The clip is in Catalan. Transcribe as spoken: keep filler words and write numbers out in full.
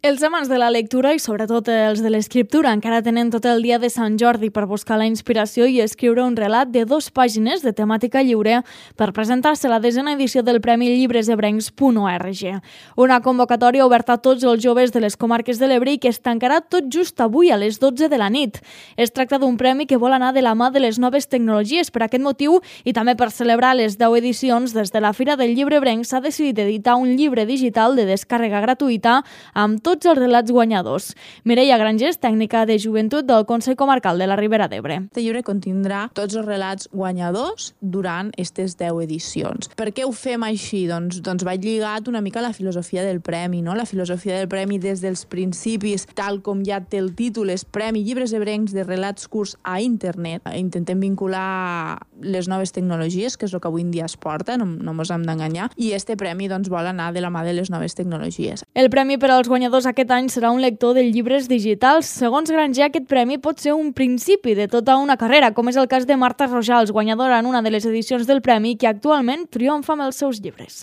Els amants de la lectura i sobretot els de l'escriptura encara tenen tot el dia de Sant Jordi per buscar la inspiració i escriure un relat de dues pàgines de temàtica lliure per presentar-se a la desena edició del Premi Llibres Ebrencs punt org. Una convocatòria oberta a tots els joves de les comarques de l'Ebre i que es tancarà tot just avui a les dotze de la nit. Es tracta d'un premi que vol anar de la mà de les noves tecnologies. Per aquest motiu i també per celebrar les deu edicions, des de la Fira del Llibre Ebrenc s'ha decidit editar un llibre digital de descàrrega gratuïta amb tot tots els relats guanyadors. Mireia Grangés, tècnica de joventut del Consell Comarcal de la Ribera d'Ebre. Este llibre contindrà tots els relats guanyadors durant aquestes deu edicions. Per què ho fem així? Doncs, doncs va lligat una mica a la filosofia del premi, no? La filosofia del premi des dels principis, tal com ja té el títol, és Premi Llibres Ebrencs de relats curts a internet. Intentem vincular les noves tecnologies, que és el que avui en dia es porta, no, no mos hem d'enganyar, i este premi doncs, vol anar de la mà de les noves tecnologies. El premi per als guanyadors aquest any serà un lector de llibres digitals. Segons Granger, aquest premi pot ser un principi de tota una carrera, com és el cas de Marta Rojals, guanyadora en una de les edicions del premi, que actualment triomfa amb els seus llibres.